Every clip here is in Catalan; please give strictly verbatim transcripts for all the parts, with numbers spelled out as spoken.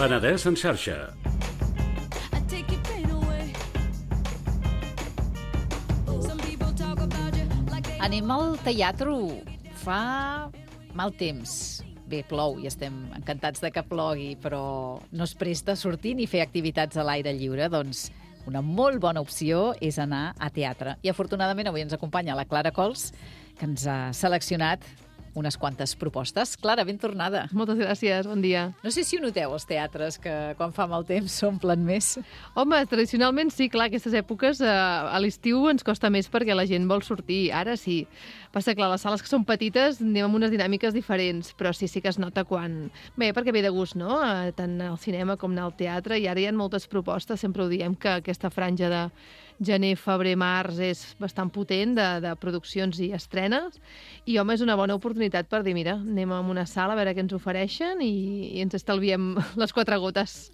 Penedès en xarxa. Anem al teatre. Fa mal temps. Bé, plou i estem encantats de que plogui, però no es presta a sortir ni fer activitats a l'aire lliure. Doncs una molt bona opció és anar a teatre. I afortunadament avui ens acompanya la Clara Cols, que ens ha seleccionat unes quantes propostes. Clara, ben tornada. Moltes gràcies, bon dia. No sé si ho noteu, els teatres, que quan fa mal temps s'omplen més. Home, tradicionalment sí, clar, aquestes èpoques eh, a l'estiu ens costa més perquè la gent vol sortir. Ara sí. Passa, clar, les sales que són petites anem amb unes dinàmiques diferents, però sí, sí que es nota quan... Bé, perquè ve de gust, no? Eh, tant al cinema com al teatre, i ara hi ha moltes propostes, sempre ho diem, que aquesta franja de gener, febrer, març és bastant potent de, de produccions i estrenes, i home, és una bona oportunitat per dir, mira, anem a una sala a veure què ens ofereixen i, i ens estalviem les quatre gotes.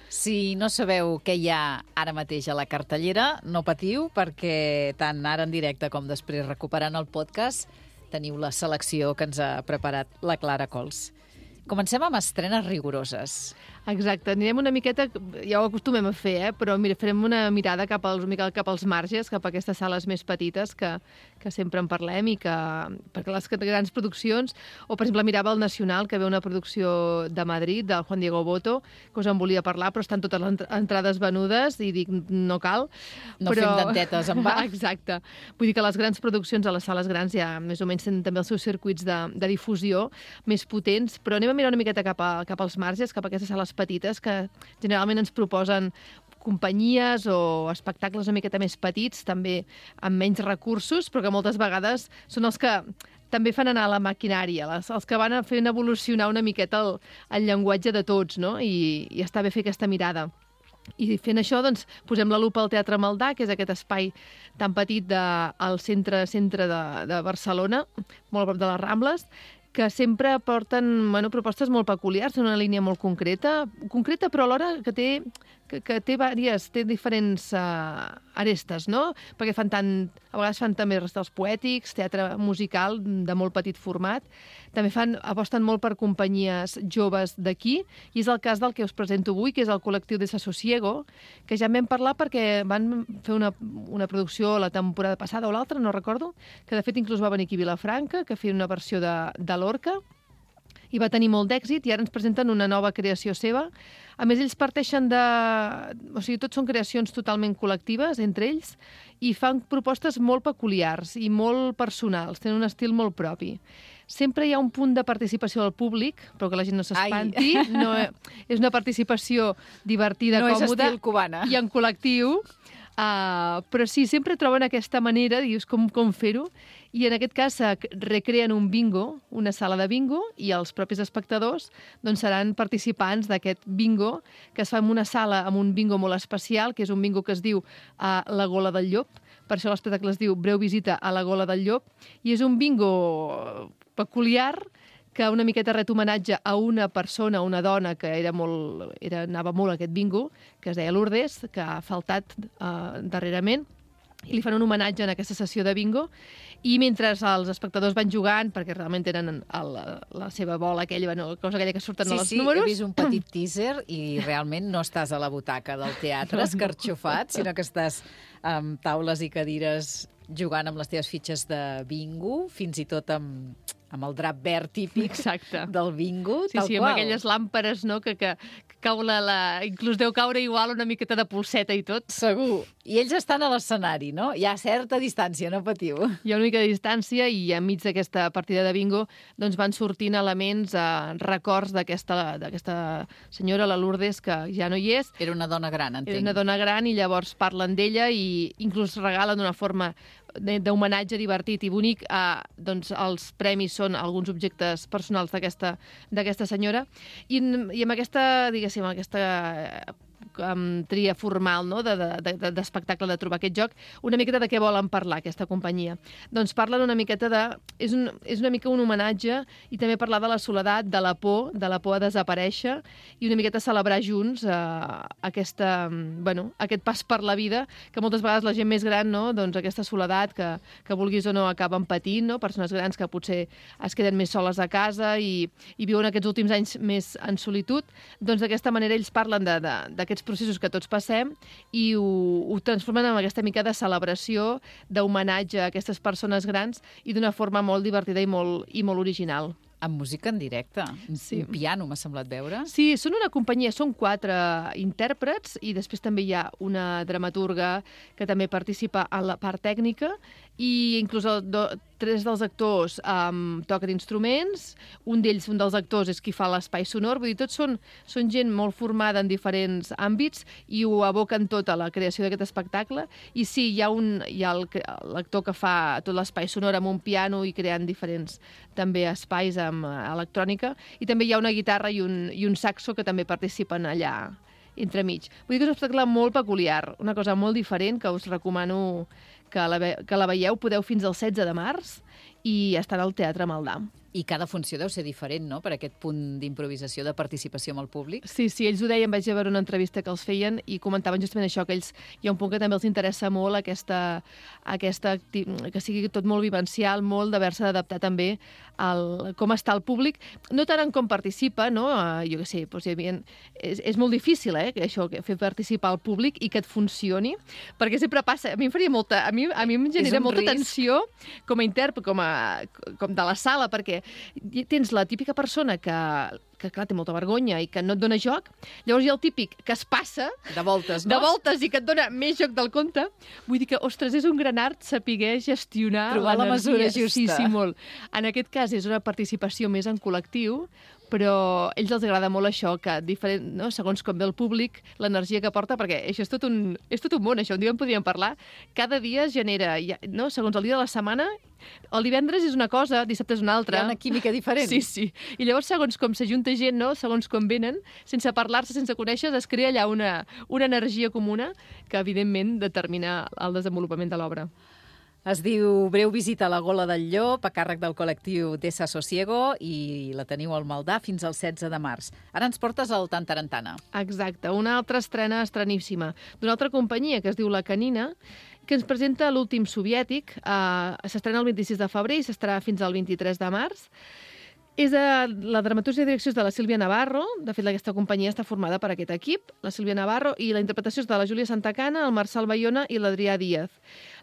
Si no sabeu què hi ha ara mateix a la cartellera, no patiu, perquè tant ara en directe com després recuperant el podcast teniu la selecció que ens ha preparat la Clara Cols. Comencem amb estrenes rigoroses. Exacte, anirem una miqueta, ja ho acostumem a fer, eh? Però mira, farem una mirada cap als, cap als marges, cap a aquestes sales més petites que, que sempre en parlem, i que, perquè les grans produccions, o per exemple mirava el Nacional, que ve una producció de Madrid, del Juan Diego Boto, que us en volia parlar, però estan totes les entrades venudes, i dic, no cal. No però... fem dentetes en va. Exacte. Vull dir que les grans produccions a les sales grans ja més o menys tenen també els seus circuits de, de difusió més potents, però anem a mirar una miqueta cap, a, cap als marges, cap a aquestes sales petites que generalment ens proposen companyies o espectacles una miqueta més petits, també amb menys recursos, però que moltes vegades són els que també fan anar la maquinària, les, els que van fent evolucionar una miqueta el, el llenguatge de tots, no? I, i està bé fer aquesta mirada. I fent això, doncs, posem la lupa al Teatre Maldà, que és aquest espai tan petit de, al centre, centre de, de Barcelona, molt a prop de les Rambles, que sempre porten, bueno, propostes molt peculiars, en una línia molt concreta, concreta però alhora que té, que, que té, diverses, té diferents uh, arestes, no? Perquè fan tant, a vegades fan també recitals poètics, teatre musical de molt petit format, també fan, aposten molt per companyies joves d'aquí, i és el cas del que us presento avui, que és el col·lectiu Desasosiego, que ja en vam parlar perquè van fer una, una producció la temporada passada o l'altra, no recordo, que de fet inclús va venir aquí a Vilafranca, que feia una versió de, de l'Orca, i va tenir molt d'èxit, i ara ens presenten una nova creació seva. A més, ells parteixen de... O sigui, tots són creacions totalment col·lectives entre ells, i fan propostes molt peculiars i molt personals, tenen un estil molt propi. Sempre hi ha un punt de participació del públic, però que la gent no s'espanti. No, és una participació divertida, no còmoda. No és estil cubana. I en col·lectiu. Uh, però sí, sempre troben aquesta manera, dius, com, com fer-ho, i en aquest cas uh, recreen un bingo, una sala de bingo, i els propis espectadors doncs, seran participants d'aquest bingo, que es fa en una sala amb un bingo molt especial, que és un bingo que es diu uh, La Gola del Llop. Per això l'espectacle es diu Breu visita a la Gola del Llop, i és un bingo peculiar que una miqueta ret homenatge a una persona, una dona que era molt, era, anava molt a aquest bingo, que es deia Lourdes, que ha faltat uh, darrerament, i li fan un homenatge en aquesta sessió de bingo, i mentre els espectadors van jugant, perquè realment tenen el, la seva bola aquella, bueno, cosa aquella que surten sí, als sí, números... Sí, sí, he vist un petit teaser i realment no estàs a la butaca del teatre escarxofat, sinó que estàs amb taules i cadires jugant amb les teves fitxes de bingo, fins i tot amb... amb el drap verd típic Exacte. Del bingo, sí, tal sí, qual. Amb aquelles làmperes, no?, que, que, que cau la, la... inclús deu caure igual una miqueta de pulseta i tot. Segur. I ells estan a l'escenari, no? Hi ha certa distància, no patiu. Hi ha una mica de distància, i enmig d'aquesta partida de bingo doncs van sortint elements, eh, records d'aquesta d'aquesta senyora, la Lourdes, que ja no hi és. Era una dona gran, entenc. Era una dona gran, i llavors parlen d'ella i inclús regalen d'una forma d'homenatge divertit i bonic. Eh, doncs els premis són alguns objectes personals d'aquesta d'aquesta senyora, i, i amb aquesta, diguéssim, aquesta um, tria formal, no?, d'espectacle, de, de, de trobar aquest joc, una miqueta de què volen parlar, aquesta companyia. Doncs parlen una miqueta de... És, un, és una mica un homenatge i també parlar de la soledat, de la por, de la por a desaparèixer i una miqueta celebrar junts eh, aquesta, bueno, aquest pas per la vida, que moltes vegades la gent més gran, no?, doncs aquesta soledat que, que vulguis o no acaben patint, no?, persones grans que potser es queden més soles a casa i, i viuen aquests últims anys més en solitud, doncs d'aquesta manera ells parlen d'aquests processos que tots passem i ho, ho transformen en aquesta mica de celebració, d'homenatge a aquestes persones grans i d'una forma molt divertida i molt, i molt original. Amb música en directe. Sí. Un piano, m'ha semblat veure. Sí, són una companyia, són quatre intèrprets i després també hi ha una dramaturga que també participa en la part tècnica i inclús el do, tres dels actors um, toquen instruments, un d'ells, un dels actors, és qui fa l'espai sonor, vull dir, tots són, són gent molt formada en diferents àmbits i ho aboquen tot a la creació d'aquest espectacle. I sí, hi ha, un, hi ha l'actor que fa tot l'espai sonor amb un piano i creant diferents també espais amb electrònica, i també hi ha una guitarra i un, i un saxo que també participen allà entremig. Vull dir que és un espectacle molt peculiar, una cosa molt diferent que us recomano que la, ve que la veieu. Podeu fins al setze de març i estarà al Teatre Maldà. I cada funció deu ser diferent, no?, per aquest punt d'improvisació, de participació amb el públic. Sí, sí, ells ho deien, vaig veure una entrevista que els feien i comentaven justament això, que ells hi ha un punt que també els interessa molt, aquesta, aquesta que sigui tot molt vivencial, molt d'haver-se d'adaptar també al com està el públic, no tant en com participa, no? Jo què sé, doncs, havia, és, és molt difícil, eh, això, fer participar el públic i que et funcioni, perquè sempre passa, a mi em faria molta, a mi, a mi em genera molta risc. Tensió com a intèrpret, com, a, com de la sala, perquè tens la típica persona que, que clar, té molta vergonya i que no et dona joc, llavors hi ha el típic que es passa de voltes, no? de voltes i que et dona més joc del compte. Vull dir que, ostres, és un gran art saber gestionar trobar la mesura justa. Sí, sí, molt. En aquest cas és una participació més en col·lectiu, però a ells els agrada molt això, que diferent, no? Segons com ve el públic, l'energia que porta, perquè això és tot un, és tot un món, això un dia en podríem parlar. Cada dia es genera, no? Segons el dia de la setmana, el divendres és una cosa, dissabte és una altra. Hi ha una química diferent. Sí, sí. I llavors, segons com s'ajunta gent, no? Segons com venen, sense parlar-se, sense conèixer, es crea allà una, una energia comuna que, evidentment, determina el desenvolupament de l'obra. Es diu Breu visita a la Gola del Llop, a càrrec del col·lectiu Desasosiego, i la teniu al Maldà fins al setze de març. Ara ens portes al Tantarantana. Exacte, una altra estrena estreníssima d'una altra companyia que es diu La Canina, que ens presenta l'últim soviètic. Uh, s'estrena el vint-i-sis de febrer i s'estarà fins al vint-i-tres de març. És de, la dramaturgia i direcció és de la Sílvia Navarro. De fet, aquesta companyia està formada per aquest equip, la Sílvia Navarro, i la interpretació és de la Júlia Santacana, el Marçal Bayona i l'Adrià Díaz.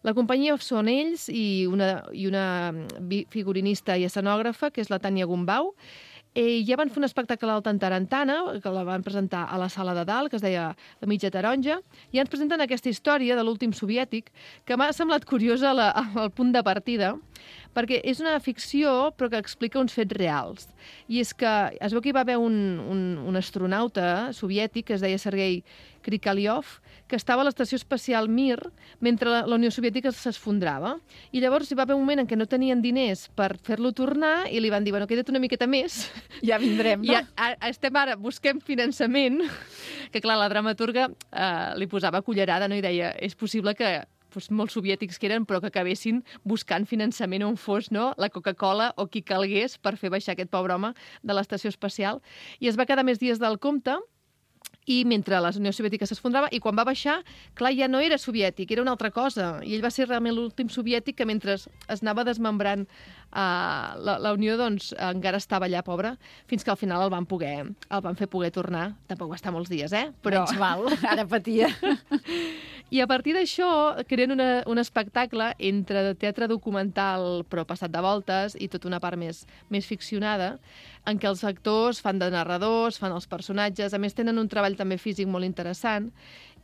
La companyia són ells i una, i una figurinista i escenògrafa, que és la Tània Gombau. Eh, ja van fer un espectacle al Tantarantana, que la van presentar a la sala de dalt, que es deia La mitja taronja, i ens presenten aquesta història de l'últim soviètic, que m'ha semblat curiosa la, el punt de partida, perquè és una ficció però que explica uns fets reals. I és que es veu que hi va haver un, un, un astronauta soviètic que es deia Sergei Krikaliov, que estava a l'estació espacial Mir mentre la, la Unió Soviètica s'esfondrava. I llavors hi va haver un moment en què no tenien diners per fer-lo tornar i li van dir, bueno, queda't una miqueta més. Ja vindrem, no? I a, a, estem ara, busquem finançament, que clar, la dramaturga eh, li posava cullerada, no? I deia, és possible que doncs, molts soviètics que eren, però que acabessin buscant finançament on fos, no?, la Coca-Cola o qui calgués per fer baixar aquest pobre home de l'estació espacial. I es va quedar més dies del compte, i mentre la Unió Soviètica s'esfondrava, i quan va baixar, clar, ja no era soviètic, era una altra cosa. I ell va ser realment l'últim soviètic que mentre es anava desmembrant uh, la, la Unió, doncs encara estava allà, pobre, fins que al final el van poder, el van fer poder tornar. Tampoc va estar molts dies, eh? Però... Menys mal, ara patia. I a partir d'això creen una, un espectacle entre teatre documental però passat de voltes i tota una part més, més ficcionada, en què els actors fan de narradors, fan els personatges, a més tenen un treball també físic molt interessant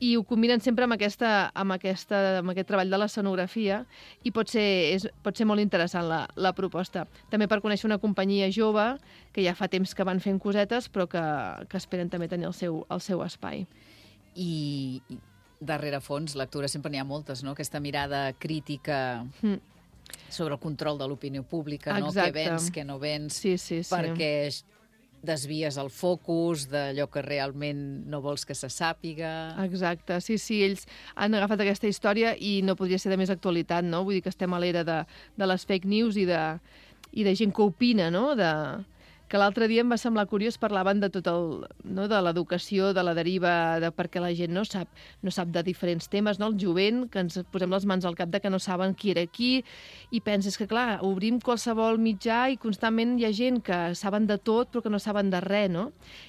i ho combinen sempre amb, aquesta, amb, aquesta, amb aquest treball de l'escenografia i pot ser, és, pot ser molt interessant la, la proposta. També per conèixer una companyia jove que ja fa temps que van fent cosetes però que, que esperen també tenir el seu, el seu espai. I... darrere fons, lectura sempre n'hi ha moltes, no? Aquesta mirada crítica mm. sobre el control de l'opinió pública, no? Què vens, què no vens, sí, sí, sí. perquè desvies el focus d'allò que realment no vols que se sàpiga. Exacte, sí, sí, ells han agafat aquesta història i no podria ser de més actualitat, no? Vull dir que estem a l'era de, de les fake news i de, i de gent que opina, no? De, que l'altre dia em va semblar curiós, parlaven de tot el, no? de l'educació, de la deriva, de perquè la gent no sap, no sap de diferents temes, no? El jovent, que ens posem les mans al cap de que no saben qui era qui, i penses que, clar, obrim qualsevol mitjà i constantment hi ha gent que saben de tot però que no saben de res, no?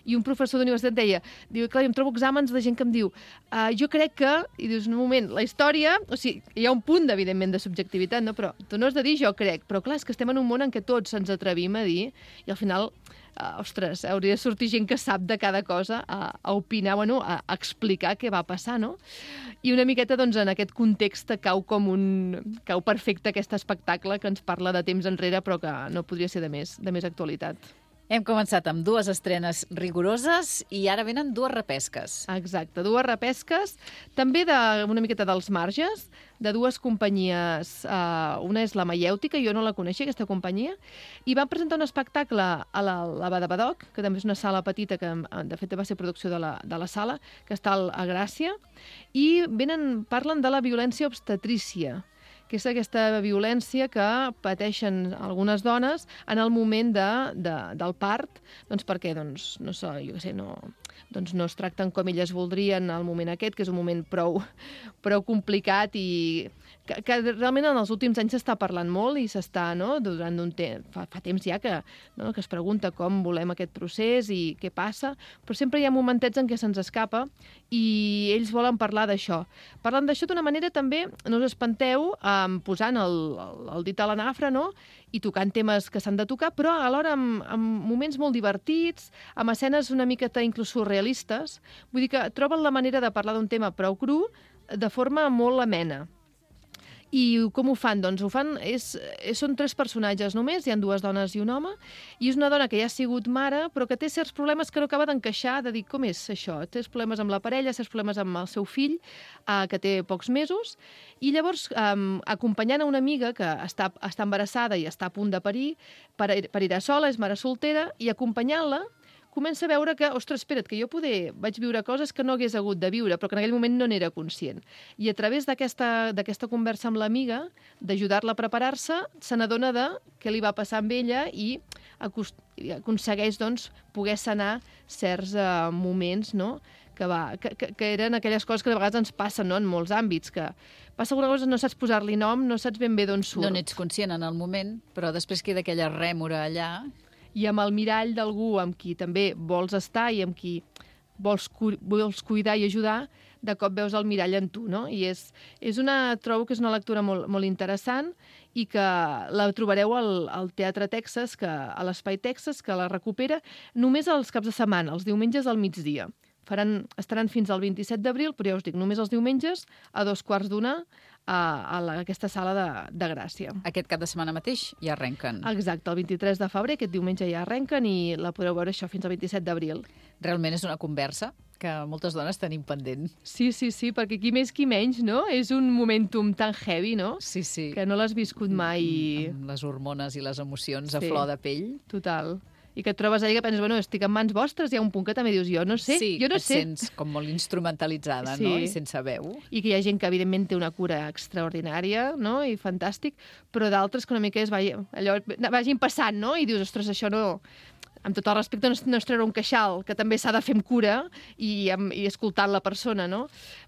I un professor d'universitat deia, diu, clar, jo em trobo exàmens de gent que em diu, uh, jo crec que, i dius, un moment, la història, o sigui, hi ha un punt, evidentment, de subjectivitat, no? Però tu no has de dir jo crec, però clar, és que estem en un món en què tots ens atrevim a dir, i al final Uh, ostres, hauria de sortir gent que sap de cada cosa a, a opinar, bueno, a, a explicar què va passar, no? I una miqueta, doncs, en aquest context cau com un... cau perfecte aquest espectacle que ens parla de temps enrere, però que no podria ser de més, de més actualitat. Hem començat amb dues estrenes rigoroses i ara venen dues repesques. Exacte, dues repesques, també de, una miqueta dels marges, de dues companyies. Uh, una és la Maièutica, jo no la coneixia, aquesta companyia, i van presentar un espectacle a la, la Badabadoc, que també és una sala petita, que de fet va ser producció de la, de la sala, que està a Gràcia, i venen, parlen de la violència obstetrícia, que és aquesta violència que pateixen algunes dones en el moment de, de, del part, doncs perquè, doncs, no sé, jo què sé, no, doncs no es tracten com elles voldrien al moment aquest, que és un moment prou, prou complicat i que, que realment en els últims anys s'està parlant molt i s'està, no?, durant un temps, fa, fa temps ja que, no?, que es pregunta com volem aquest procés i què passa, però sempre hi ha momentets en què se'ns escapa i ells volen parlar d'això. Parlen d'això d'una manera també, no us espanteu, um, posant el, el, el dit a la nafra, no?, i tocant temes que s'han de tocar, però alhora amb, amb moments molt divertits, amb escenes una miqueta inclús surrealistes. Vull dir que troben la manera de parlar d'un tema prou cru de forma molt amena. I com ho fan? Doncs ho fan, és, és, són tres personatges només, hi ha dues dones i un home, i és una dona que ja ha sigut mare, però que té certs problemes que no acaba d'encaixar, de dir com és això, té problemes amb la parella, certs problemes amb el seu fill, eh, que té pocs mesos, i llavors, eh, acompanyant a una amiga que està, està embarassada i està a punt de parir, per, per ir a sola, és mare soltera, i acompanyant-la, comença a veure que, ostres, espera't, que jo poder vaig viure coses que no hagués hagut de viure, però que en aquell moment no n'era conscient. I a través d'aquesta d'aquesta conversa amb l'amiga, d'ajudar-la a preparar-se, se n'adona de què li va passar amb ella i aconsegueix, doncs, poder sanar certs uh, moments, no?, que, va, que, que, que eren aquelles coses que de vegades ens passen, no?, en molts àmbits, que passa alguna cosa, no saps posar-li nom, no saps ben bé d'on surt. No n'ets conscient en el moment, però després queda aquella rèmora allà. I amb el mirall d'algú amb qui també vols estar i amb qui vols, cu vols cuidar i ajudar, de cop veus el mirall en tu, no? I és, és una, trobo que és una lectura molt, molt interessant i que la trobareu al, al Teatre Texas, que, a l'Espai Texas, que la recupera només els caps de setmana, els diumenges al migdia. Faran, estaran fins al vint-i-set d'abril, però ja us dic, només els diumenges a dos quarts d'una a, a la, aquesta sala de, de Gràcia. Aquest cap de setmana mateix ja arrenquen. Exacte, el vint-i-tres de febrer, aquest diumenge ja arrenquen i la podeu veure això fins al vint-i-set d'abril. Realment és una conversa que moltes dones tenim pendent. Sí, sí, sí, perquè qui més qui menys, no? És un momentum tan heavy, no? Sí, sí. Que no l'has viscut mai. Amb les hormones i les emocions a sí, flor de pell. Total. I que et trobes allà que penses, bueno, estic en mans vostres, hi ha un punt que també dius, jo no sé, sí, jo no et sé. sents com molt instrumentalitzada, sí, no?, i sense veu. I que hi ha gent que, evidentment, té una cura extraordinària, no?, i fantàstic, però d'altres que una mica és, vagi, allò, vagin passant, no?, i dius, ostres, això no... Amb tot el respecte, no es treure un queixal, que també s'ha de fer amb cura i, amb, i escoltant la persona, no?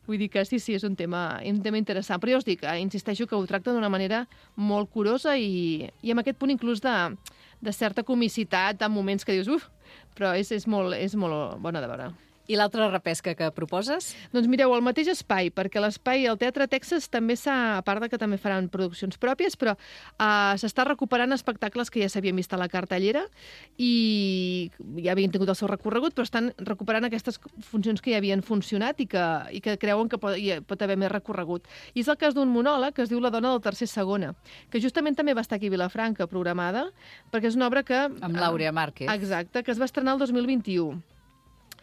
Vull dir que sí, sí, és un tema, un tema interessant. Però jo us dic, insisteixo que ho tracta d'una manera molt curosa i, i amb aquest punt inclús de, de certa comicitat en moments que dius, uf, però és, és, molt, és molt bona de veure. I l'altra repesca que proposes? Doncs mireu, el mateix espai, perquè l'espai al Teatre Texas també s'ha, a part de que també faran produccions pròpies, però uh, s'està recuperant espectacles que ja s'havien vist a la cartellera i ja havien tingut el seu recorregut, però estan recuperant aquestes funcions que ja havien funcionat i que, i que creuen que pot, hi pot haver més recorregut. I és el cas d'un monòleg que es diu La dona del tercer segona, que justament també va estar aquí a Vilafranca programada, perquè és una obra que... Amb l'Àurea Márquez. Exacte, que es va estrenar el dos mil vint-i-u.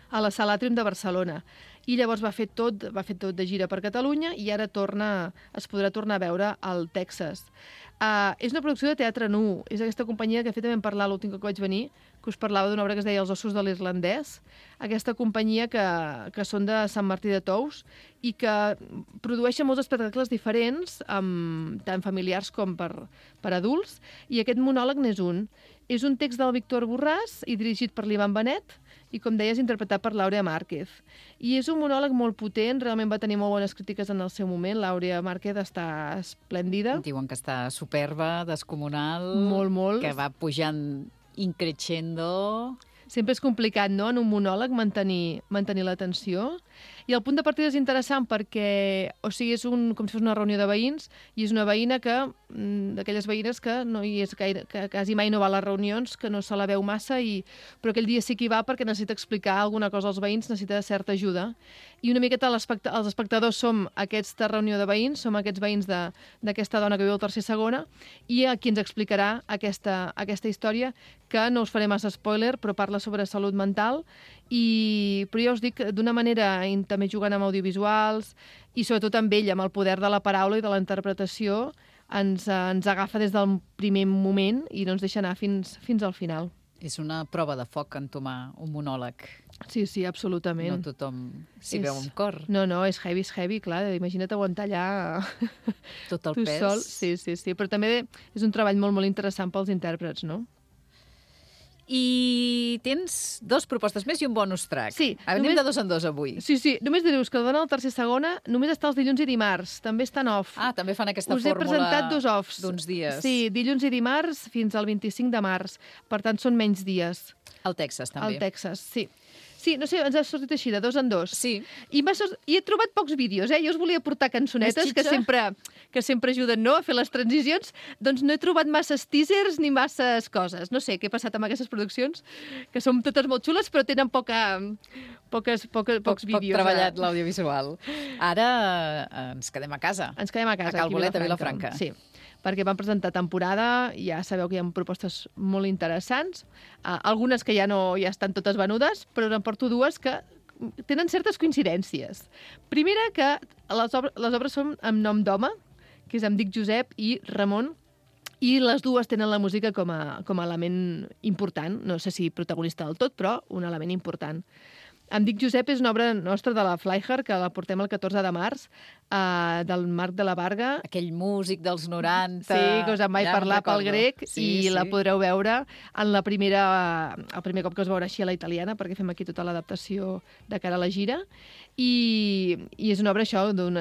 A la Sala Atrium de Barcelona. I llavors va fer tot, va fer tot de gira per Catalunya i ara torna, es podrà tornar a veure al Texas. Uh, és una producció de teatre nu. És aquesta companyia que, de fet, vam parlar l'últim cop que vaig venir, que us parlava d'una obra que es deia Els ossos de l'irlandès. Aquesta companyia que, que són de Sant Martí de Tous i que produeixen molts espectacles diferents, um, tant familiars com per, per adults, i aquest monòleg n'és un. És un text del Víctor Borràs i dirigit per l'Ivan Benet i, com deies, interpretat per l'Àurea Márquez. I és un monòleg molt potent, realment va tenir molt bones crítiques en el seu moment. L'Àurea Márquez està esplèndida. Diuen que està superba, descomunal. Molt, molt. Que va pujant increixendo. Sempre és complicat, no?, en un monòleg mantenir, mantenir l'atenció. I el punt de partida és interessant perquè, o sigui, és un, com si fos una reunió de veïns, i és una veïna que, d'aquelles veïnes que no hi és gaire, que quasi mai no va a les reunions, que no se la veu massa, i, però aquell dia sí que hi va perquè necessita explicar alguna cosa als veïns, necessita certa ajuda. I una miqueta l'especta- els espectadors som aquesta reunió de veïns, som aquests veïns de- d'aquesta dona que viu al tercer segona, i a qui ens explicarà aquesta, aquesta història, que no us faré massa spoiler, però parla sobre salut mental, i, però ja us dic, d'una manera també jugant amb audiovisuals i sobretot amb ell, amb el poder de la paraula i de la interpretació, ens, ens agafa des del primer moment i no ens deixa anar fins, fins al final. És una prova de foc entomar un monòleg. Sí, sí, absolutament. No tothom s'hi És... veu amb cor. No, no, és heavy, és heavy, clar. Imagina't aguantar allà Tot el tu pes. sol. Sí, sí, sí. Però també és un treball molt, molt interessant pels intèrprets, no? I tens dos propostes més i un bonus track. Sí. Anem només... de dos en dos avui. Sí, sí. Només dir-vos que el dona al tercer segona només està els dilluns i dimarts. També està en off. Ah, també fan aquesta Us he fórmula presentat dos offs. d'uns dies. Sí, dilluns i dimarts fins al vint-i-cinc de març. Per tant, són menys dies. Al Texas, també. Al Texas, sí. Sí, no sé, ens ha sortit així, de dos en dos. Sí. I, sort... I he trobat pocs vídeos, eh? Jo us volia portar cançonetes que sempre, que sempre ajuden, no?, a fer les transicions. Doncs no he trobat masses teasers ni masses coses. No sé què ha passat amb aquestes produccions, que són totes molt xules, però tenen poca, poques, poca, pocs poc, vídeos. Poc treballat l'audiovisual. Ara eh, ens quedem a casa. Ens quedem a casa, a Cal Bolet, a Vilafranca. Sí, perquè van presentar temporada, ja sabeu que hi ha propostes molt interessants, uh, algunes que ja no ja estan totes venudes, però en porto dues que tenen certes coincidències. Primera, que les, obres, les obres són amb nom d'home, que és em dic Josep i Ramon, i les dues tenen la música com a, com a element important, no sé si protagonista del tot, però un element important. Em dic Josep és una obra nostra de la Flyher, que la portem el catorze de març, eh, del Marc de la Varga. Aquell músic dels noranta. Sí, que us en vaig ja parlar pel grec, sí, i sí. la podreu veure en la primera, el primer cop que us veurà així a la italiana, perquè fem aquí tota l'adaptació de cara a la gira. I, i és una obra, això, d'un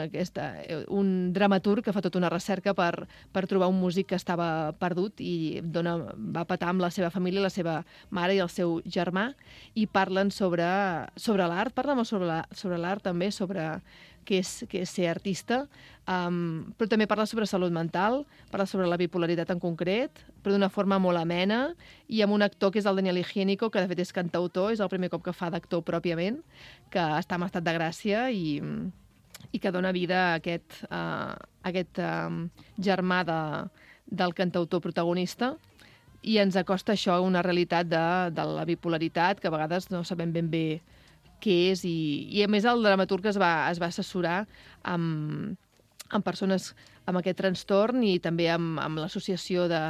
un dramaturg que fa tota una recerca per, per trobar un músic que estava perdut i dona, va petar amb la seva família, la seva mare i el seu germà, i parlen sobre, sobre l'art, parlen molt sobre l'art, sobre l'art també, sobre què és, què és ser artista, um, però també parla sobre salut mental, parla sobre la bipolaritat en concret, però d'una forma molt amena, i amb un actor que és el Daniel Higiénico, que de fet és cantautor, és el primer cop que fa d'actor pròpiament, que està en estat de gràcia i, i que dona vida a aquest, uh, a aquest uh, germà de, del cantautor protagonista, i ens acosta això a una realitat de, de la bipolaritat, que a vegades no sabem ben bé què és, i, i a més el dramaturg es va, es va assessorar amb, amb persones amb aquest trastorn i també amb, amb l'associació de,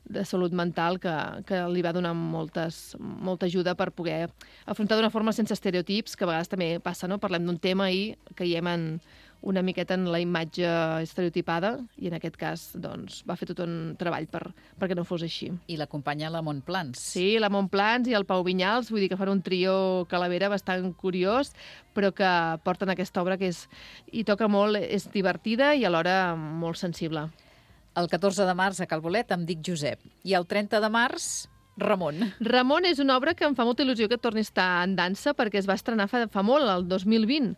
de salut mental que, que li va donar moltes, molta ajuda per poder afrontar d'una forma sense estereotips, que a vegades també passa, no? Parlem d'un tema i caiem en una miqueta en la imatge estereotipada, i en aquest cas doncs, va fer tot un treball per, perquè no fos així. I l'acompanya la Montplans. Sí, la Montplans i el Pau Vinyals, vull dir que fan un trio calavera bastant curiós, però que porten aquesta obra que és, i toca molt, és divertida i alhora molt sensible. El catorze de març a Cal Bolet em dic Josep. I el trenta de març, Ramon. Ramon és una obra que em fa molta il·lusió que torni a estar en dansa, perquè es va estrenar fa, fa molt, el dos mil vint.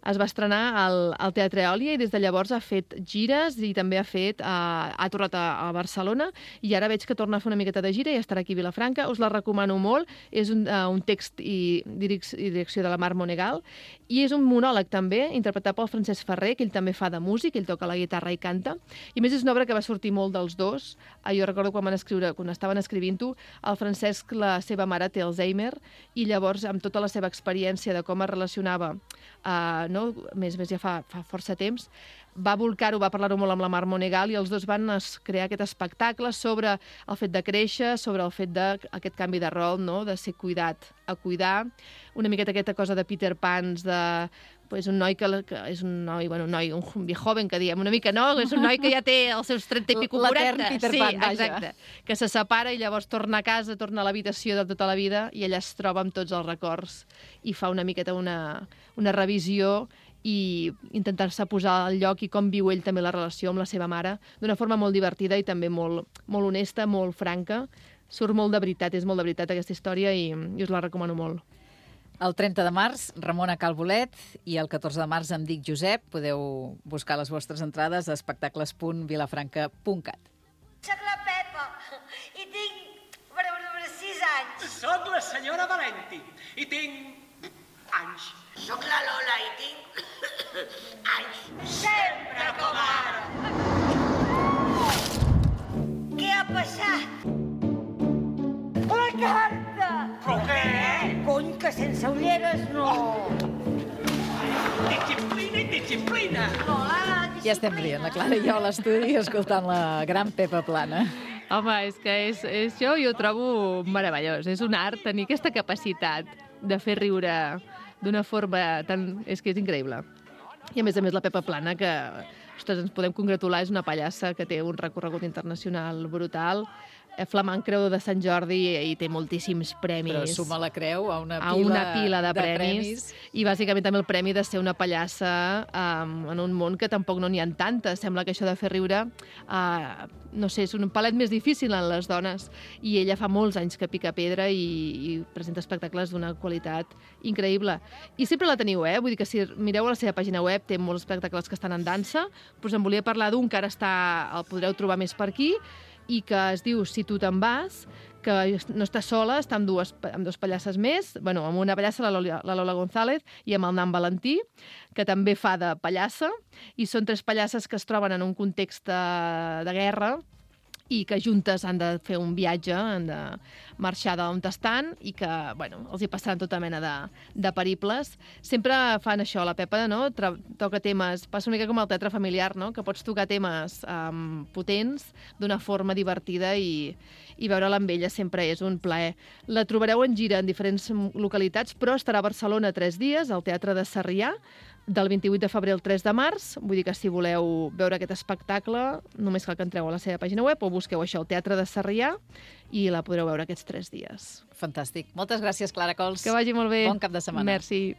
Es va estrenar al, al Teatre Eòlia i des de llavors ha fet gires i també ha fet uh, ha tornat a, a Barcelona, i ara veig que torna a fer una miqueta de gira i estarà aquí a Vilafranca. Us la recomano molt. És un, uh, un text i, direc i direcció de la Mar Monegal, i és un monòleg també, interpretat pel Francesc Ferrer, que ell també fa de músic, ell toca la guitarra i canta, i a més és una obra que va sortir molt dels dos. Uh, jo recordo quan van escriure, quan estaven escrivint-ho, el Francesc, la seva mare, té Alzheimer, i llavors, amb tota la seva experiència de com es relacionava, uh, no? més més ja fa, fa força temps, va volcar-ho, va parlar-ho molt amb la Mar Monegal i els dos van crear aquest espectacle sobre el fet de créixer, sobre el fet d'aquest canvi de rol, no? De ser cuidat a cuidar, una miqueta aquesta cosa de Peter Pans, de pues, un noi que, que és un noi, bueno, un noi, un joven que diem, una mica no, és un noi que ja té els seus trenta i pico, quaranta. L'etern Peter Pan, sí, vaja. Exacte, que se separa i llavors torna a casa, torna a l'habitació de tota la vida i ella es troba amb tots els records i fa una miqueta una, una revisió i intentar-se posar al lloc i com viu ell també la relació amb la seva mare d'una forma molt divertida i també molt, molt honesta, molt franca. Surt molt de veritat, és molt de veritat aquesta història i, i us la recomano molt. El trenta de març, Ramona Calbolet, i el catorze de març em dic Josep. Podeu buscar les vostres entrades a espectacles punt vilafranca punt cat. Soc la Pepa i tinc per veure sis anys. Soc la senyora Valenti i tinc anys. Soc la Lola i tinc anys. Sempre com ara. Què ha passat? La carta! Però què? Cony, que sense ulleres no... Disciplina i disciplina! Lola, Ja estem rient, la Clara i jo a l'estudi escoltant la gran Pepa Plana. Home, és que és, és, jo, jo ho trobo meravellós. És un art tenir aquesta capacitat de fer riure d'una forma tan... És que és increïble. I a més a més la Pepa Plana, que ostres, ens podem congratular, és una pallassa que té un recorregut internacional brutal, flamant Creu de Sant Jordi i té moltíssims premis. Però suma la creu a una pila, a una pila de, de premis, premis. I bàsicament també el premi de ser una pallassa um, en un món que tampoc no n'hi ha tantes. Sembla que això de fer riure, uh, no sé, és un palet més difícil en les dones. I ella fa molts anys que pica pedra i, i presenta espectacles d'una qualitat increïble. I sempre la teniu, eh? Vull dir que si mireu a la seva pàgina web, té molts espectacles que estan en dansa, però us en volia parlar d'un que ara està, el podreu trobar més per aquí, i que es diu Si tu te'n vas, que no està sola, està amb, dues, amb dos pallasses més, bueno, amb una pallassa, la Lola, la Lola González, i amb el Nan Valentí, que també fa de pallassa, i són tres pallasses que es troben en un context de, de guerra i que juntes han de fer un viatge, han de marxar d'on estan i que, bueno, els hi passaran tota mena de, de periples. Sempre fan això, la Pepa, no? Tra toca temes, passa una mica com el teatre familiar, no? Que pots tocar temes um, potents d'una forma divertida i, i veure-la amb ella sempre és un plaer. La trobareu en gira en diferents localitats, però estarà a Barcelona tres dies, al Teatre de Sarrià, del vint-i-vuit de febrer al tres de març. Vull dir que si voleu veure aquest espectacle, només cal que entreu a la seva pàgina web o busqueu això, el Teatre de Sarrià, i la podreu veure aquests tres dies. Fantàstic. Moltes gràcies, Clara Cols. Que vagi molt bé. Bon cap de setmana. Merci.